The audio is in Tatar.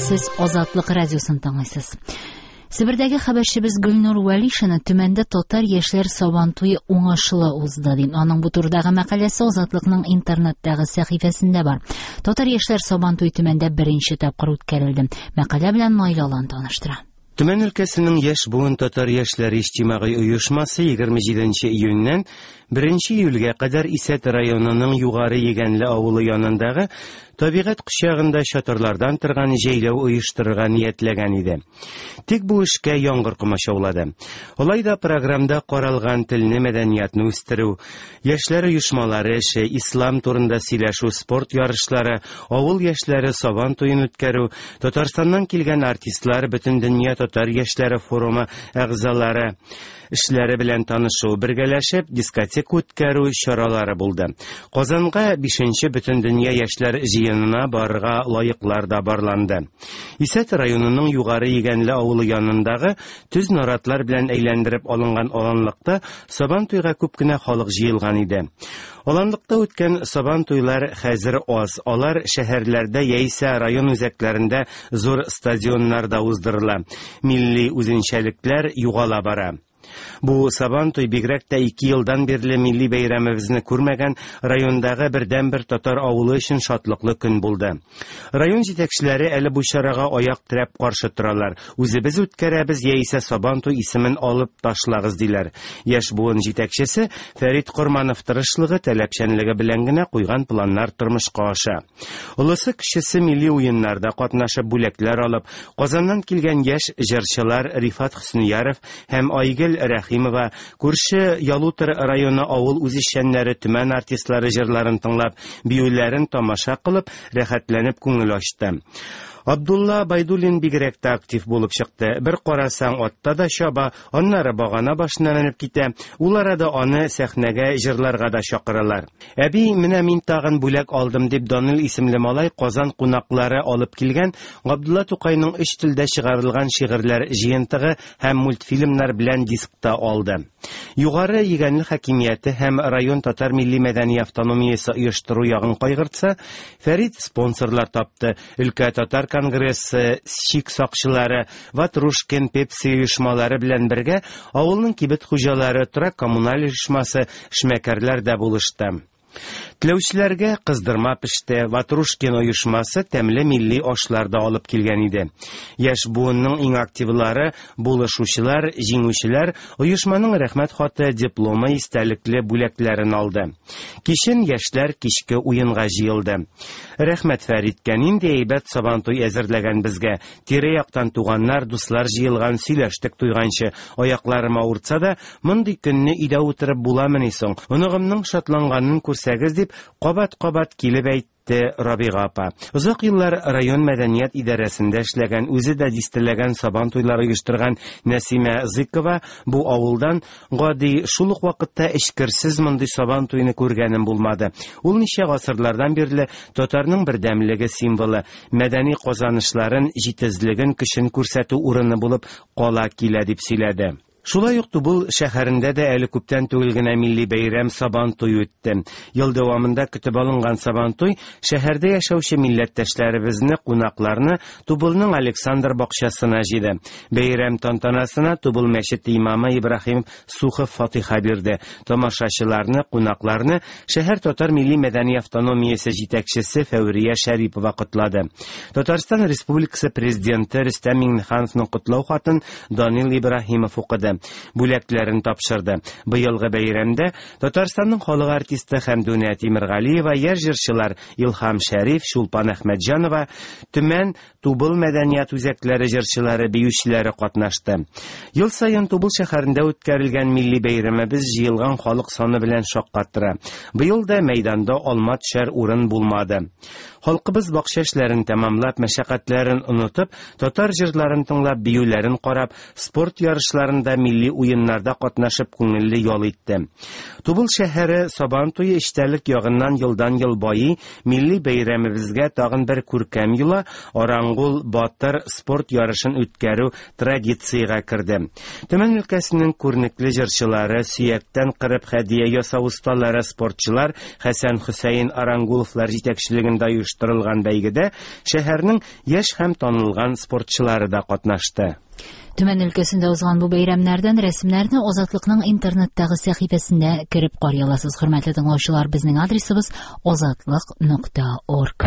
Сез Азатлык радиосын тыңлыйсыз. Себердәге хәбәрчебез Гөлнур Вәлишина Төмәндә татар яшьләр Сабантуе уңышлы узды ди. Аның бу турыдагы мәкаләсе Азатлыкның интернеттагы сәхифәсендә бар. Татар яшьләр Сабантуе Төмәндә беренче тапкыр үткәрелде. Мәкалә белән Наил Алан таныштыра. Төмән өлкәсенең Яшь буын татар яшьләре иҗтимагый оешмасы 27 нче июньнән 1 нче июльгә кадәр Исәт районының Югары Егәнле авылы янындагы табигать кочагында чатырлардан торган җәйләү оештырырга ниятләгән иде. Тик бу эшкә яңгыр комачаулады. Алай да програмда каралган телне, мәдәниятне үстерү, Яшьләр оешмалары эше, ислам турында сөйләшү, спорт ярышлары, авыл яшьләре Сабан туен үткәрү, Татарстаннан килгән артистлар, Бөтендөнья татар яшьләре форумы әгъзалары эшләре белән танышу, бергәләшеп дискотека үткәрү чаралары булды. Казанга бишенче Бөтендөнья яшьләр җыенына барырга лаеклар да барланды. Исәт районының Югары Егәнле авылы янындагы Төз наратлар белән әйләндереп алынган аланлыкта Сабан туйга күп кенә халык җыелган иде. Аланлыкта үткән Сабан туйлар хәзер аз, алар шәһәрләрдә яисә район үзәкләрендә зур стадионнарда уздырыла. Милли үзенчәлекләр югала бара. Бу Сабан туй бигрәк тә ике елдан бирле милли бәйрәмебезне күрмәгән райондагы бердәнбер татар авылы өчен шатлыклы көн булды. Район җитәкчеләре әле бу чарага аяк терәп каршы торалар. Үзебез үткәрәбез яисә Сабантуй исемен алып ташлагыз, диләр. Яшь буын җитәкчесе Фәрит Корманов тырышлыгы, таләпчәнлеге белән генә куйган планнар тормышка аша. Олысы-кечесе милли уеннарда катнашып, бүләкләр алып, Казаннан килгән яшь җырчылар Рифат Хөснияров һәм Айгөл Рәхимова, күрше Ялутор районы авыл үзешчәннәре Төмән артистлары җырларын тыңлап, биюләрен тамаша кылып, рәхәтләнеп күңел ачты. Абдулла Байдуллин бигрәк тә актив булып чыкты. Бер карасаң, атта да чаба, аннары багана башына менеп китә. Ул арада аны сәхнәгә җырларга да чакыралар. Әби, менә мин тагын бүләк алдым, дип Данил исемле малай Казан кунаклары алып килгән Габдулла Тукайның өч телдә чыгарылган шигырьләр җыентыгы һәм мультфильмнар белән диск та алды. Югары Егәнле хакимияте һәм район татар милли-мәдәни автономиясе оештыру ягын кайгыртса, Фәрит спонсорлар тапты, өлкә татар конгрессы, чик сакчылары, Ватрушкин, Пепси оешмалары белән бергә авылның кибет хуҗалары, торак-коммуналь оешмасы, эшмәкәрләр дә булышты. Теләүчеләргә кыздырма пеште, Ватрушкин оешмасы тәмле милли ашлар да алып килгән иде. Яшь буынның иң активлары, булышучылар, җиңүчеләр оешманың рәхмәт хаты, дипломы, истәлекле бүләкләрен алды. Кичен яшьләр кичке уенга җыелды. Рәхмәт Фәриткә, нинди әйбәт Сабантуй әзерләгән безгә. Тирә-яктан туганнар, дуслар җыелган, сөйләштек туйганчы. Аякларым авыртса да, Мондый көнне өйдә утырып буламыни соң? Оныгымның шатланганын күрсәгез, дип, кабат-кабат килеп әйтте Рабига апа. Озак еллар район мәдәният идарәсендә эшләгән, үзе дә дистәләгән Сабан туйлары оештырган Нәсимә Зыкова бу авылдан гади, шул ук вакытта эчкерсез мондый Сабан туйны күргәнем булмады. Ул ничә гасырлардан бирле татарның бердәмлеге символы, мәдәни казанышларын, җитезлеген, көчен күрсәтү урыны булып кала килә, дип сөйләде. Шулай ук Тубыл шәһәрендә дә әле күптән түгел генә милли бәйрәм Сабантуй үтте. Ел дәвамында көтеп алынган Сабантуй шәһәрдә яшәүче милләттәшләребезне, кунакларны Тубылның Александр бакчасына җыйды. Бәйрәм тантанасына Тубыл мәчете имамы Ибраһим Сухов фатиха бирде. Тамашачыларны, кунакларны шәһәр татар милли-мәдәни автономиясе җитәкчесе Фәүрия Шәрипова котлады. Татарстан Республикасы Президенты Рөстәм Миңнехановның котлау хатын Данил Ибраһимов укыды, бүләкләрен тапшырды. Быелгы бәйрәмдә Татарстанның халык артисты Хәмдүнә Тимергалиева, яшь җырчылар Илһам Шәриф, Чулпан Әхмәтҗанова, Төмән, Тубыл мәдәният үзәкләре җырчылары, биючеләре катнашты. Ел саен Тубыл шәһәрендә үткәрелгән милли бәйрәмебез җыелган халык саны белән шаккатыра. Быел да мәйданда алма төшәр урын булмады. Халкыбыз бакча эшләрен тәмамлап, мәшәкатьләрен онытып, татар җырларын тыңлап, биюләрен карап, спорт ярышларында милли милли уеннарда катнашып күңелле ял итте. Тубыл шәһәре Сабан туе эчтәлек ягыннан елдан-ел байый, милли бәйрәмебезгә тагын бер күркәм йола, Арангул батыр спорт ярышын үткәрү традициягә керде. Төмән өлкәсенең күренекле җырчылары, сөяктән кырып хәдия ясау осталары, спортчылар Хәсән Хөсәен Арангуловлар җитәкчелегендә оештырылган бәйгедә шәһәрнең яшь һәм танылган спортчылары да катнашты. Төмән өлкәсендә узган бу бәйрәмнәрдән рәсемнәрне Азатлыкның интернеттагы сәхифәсендә кереп карый аласыз. Хөрмәтле тыңлаучылар, безнең адресыбыз azatlyk.org.